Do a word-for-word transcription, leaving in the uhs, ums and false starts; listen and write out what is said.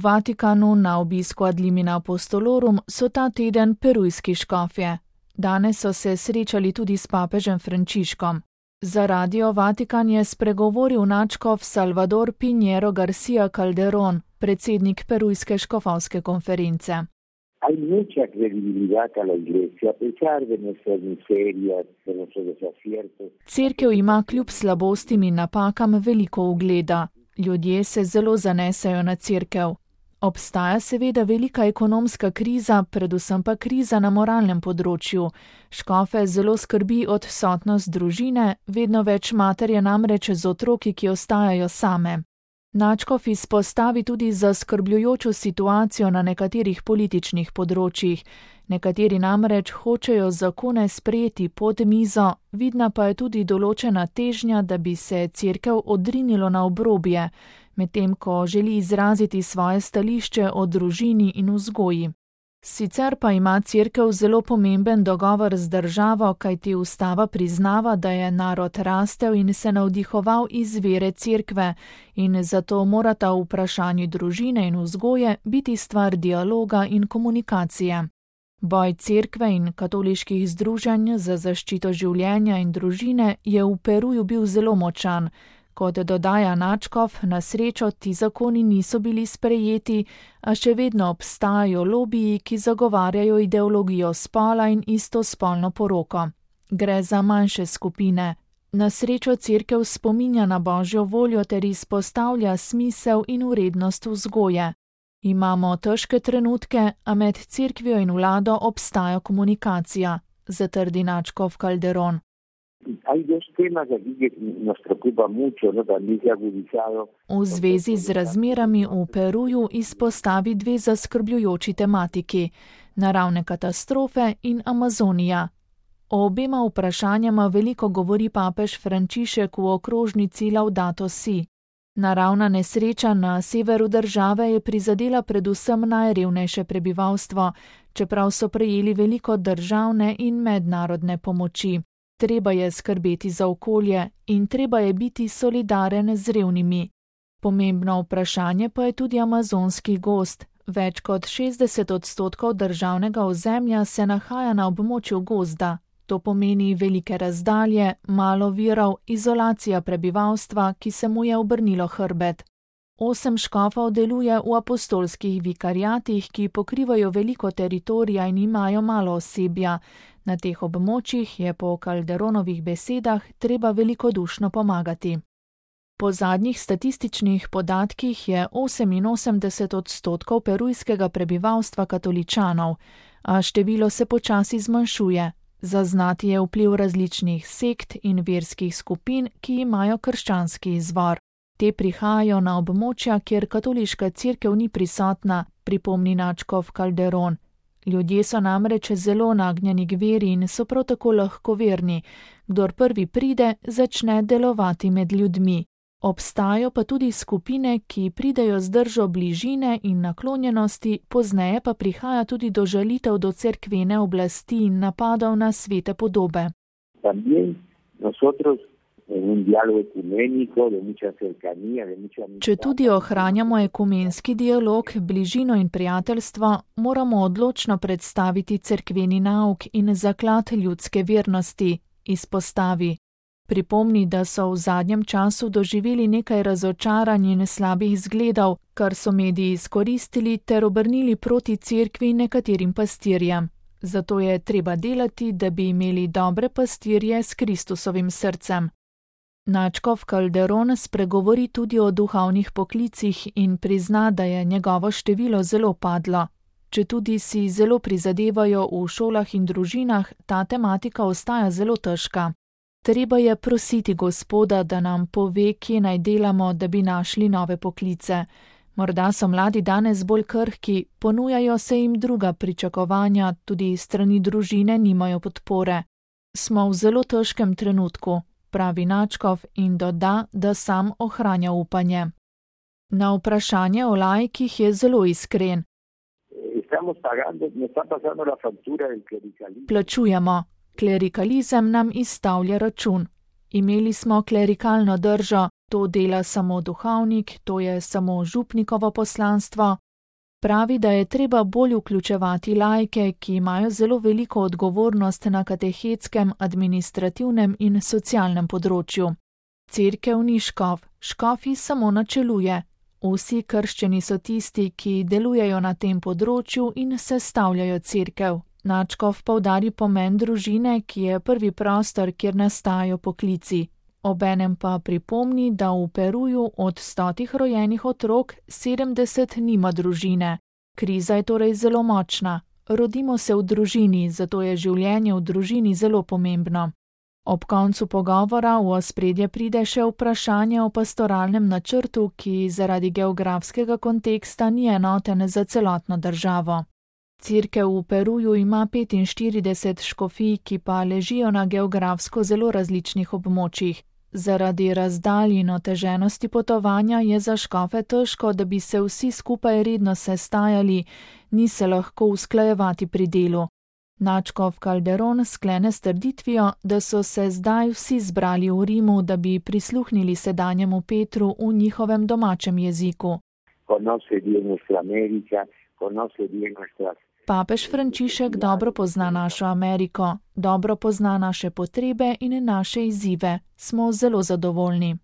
Vatikanu na obisku ad limina apostolorum so ta teden perujski škofje. Danes so se srečali tudi s papežem Frančiškom. Za Radio Vatikan je spregovoril nadškof Salvador Pinheiro García Calderón, predsednik perujske škofovske konference. Hay mucha credibilidad a la Iglesia, a pesar de nuestras miserias, de nuestros desaciertos. Cerkev ima kljub slabostim in napakam veliko ugleda. Ljudje se zelo zanesejo na cerkev. Obstaja seveda velika ekonomska kriza, predvsem pa kriza na moralnem področju. Škofe zelo skrbi odsotnost družine, vedno več mater je namreč z otroki, ki ostajajo same. Nadškof izpostavi tudi zaskrbljujočo situacijo na nekaterih političnih področjih. Nekateri namreč hočejo zakone sprejeti pod mizo, vidna pa je tudi določena težnja, da bi se cerkev odrinilo na obrobje, medtem ko želi izraziti svoje stališče o družini in vzgoji. Sicer pa ima cerkev zelo pomemben dogovor z državo, kajti ustava priznava, da je narod rastel in se navdihoval iz vere cerkve in zato morata v vprašanju družine in vzgoje biti stvar dialoga in komunikacije. Boj cerkve in katoliških združenj za zaščito življenja in družine je v Peruju bil zelo močan. Kot dodaja nadškof, na srečo ti zakoni niso bili sprejeti, a še vedno obstajajo lobiji, ki zagovarjajo ideologijo spola in istospolno poroko. Gre za manjše skupine. Na srečo cerkev spominja na Božjo voljo ter izpostavlja smisel in vrednost vzgoje. Imamo težke trenutke, a med cerkvijo in vlado obstaja komunikacija, zatrdi nadškof Calderón. V zvezi z razmerami v Peruju izpostavi dve zaskrbljujoči tematiki: naravne katastrofe in Amazonija. O obema vprašanjama veliko govori papež Frančišek v okrožnici Laudato Si. Naravna nesreča na severu države je prizadela predvsem najrevnejše prebivalstvo, čeprav so prejeli veliko državne in mednarodne pomoči. Treba je skrbeti za okolje in treba je biti solidaren z revnimi. Pomembno vprašanje pa je tudi amazonski gozd. Več kot šestdeset odstotkov državnega ozemlja se nahaja na območju gozda. To pomeni velike razdalje, malo virov, izolacija prebivalstva, ki se mu je obrnilo hrbet. Osem škofov deluje v apostolskih vikariatih, ki pokrivajo veliko teritorija in imajo malo osebja. Na teh območjih je po Calderónovih besedah treba velikodušno pomagati. Po zadnjih statističnih podatkih je oseminosemdeset odstotkov perujskega prebivalstva katoličanov, a število se počasi zmanjšuje. Zaznati je vpliv različnih sekt in verskih skupin, ki imajo krščanski izvor. Te prihajajo na območja, kjer katoliška cerkev ni prisotna, pripomni nadškof Calderón. Ljudje so namreč zelo nagnjeni k veri in so prav tako lahkoverni. Kdor prvi pride, začne delovati med ljudmi. Obstajajo pa tudi skupine, ki pridejo z držo bližine in naklonjenosti, pozneje pa prihaja tudi do žalitev do cerkvene oblasti in napadov na svete podobe. Če tudi ohranjamo ekumenski dialog, bližino in prijateljstvo, moramo odločno predstaviti cerkveni nauk in zaklad ljudske vernosti, izpostavi. Pripomni, da so v zadnjem času doživeli nekaj razočaranj in slabih zgledov, kar so mediji izkoristili ter obrnili proti cerkvi in nekaterim pastirjem. Zato je treba delati, da bi imeli dobre pastirje s Kristusovim srcem. Nadškof Calderón spregovori tudi o duhovnih poklicih in prizna, da je njegovo število zelo padlo. Četudi si zelo prizadevajo v šolah in družinah, ta tematika ostaja zelo težka. Treba je prositi Gospoda, da nam pove, kje naj delamo, da bi našli nove poklice. Morda so mladi danes bolj krhki, ponujajo se jim druga pričakovanja, tudi strani družine nimajo podpore. Smo v zelo težkem trenutku, pravi nadškof in doda, da sam ohranja upanje. Na vprašanje o laikih je zelo iskren. Plačujemo. Klerikalizem nam izstavlja račun. Imeli smo klerikalno držo, to dela samo duhovnik, to je samo župnikovo poslanstvo, Pravi, da je treba bolj vključevati laike, ki imajo zelo veliko odgovornost na katehetskem, administrativnem in socialnem področju. Cerkev ni škof, škofi samo načeluje. Vsi krščeni so tisti, ki delujejo na tem področju in sestavljajo cerkev. Nadškof poudari pomen družine, ki je prvi prostor, kjer nastajajo poklici. Obenem pa pripomni, da v Peruju od stotih rojenih otrok sedemdeset nima družine. Kriza je torej zelo močna. Rodimo se v družini, zato je življenje v družini zelo pomembno. Ob koncu pogovora v ospredje pride še vprašanje o pastoralnem načrtu, ki zaradi geografskega konteksta ni enoten za celotno državo. Cerkev v Peruju ima petinštirideset škofij, ki pa ležijo na geografsko zelo različnih območjih. Zaradi razdalj in oteženosti potovanja je za škofe težko, da bi se vsi skupaj redno sestajali, ni se lahko usklajevati pri delu. Nadškof Calderón sklene s trditvijo, da so se zdaj vsi zbrali v Rimu, da bi prisluhnili sedanjemu Petru v njihovem domačem jeziku. Papež Frančišek dobro pozna našo Ameriko, dobro pozna naše potrebe in naše izzive. Smo zelo zadovoljni.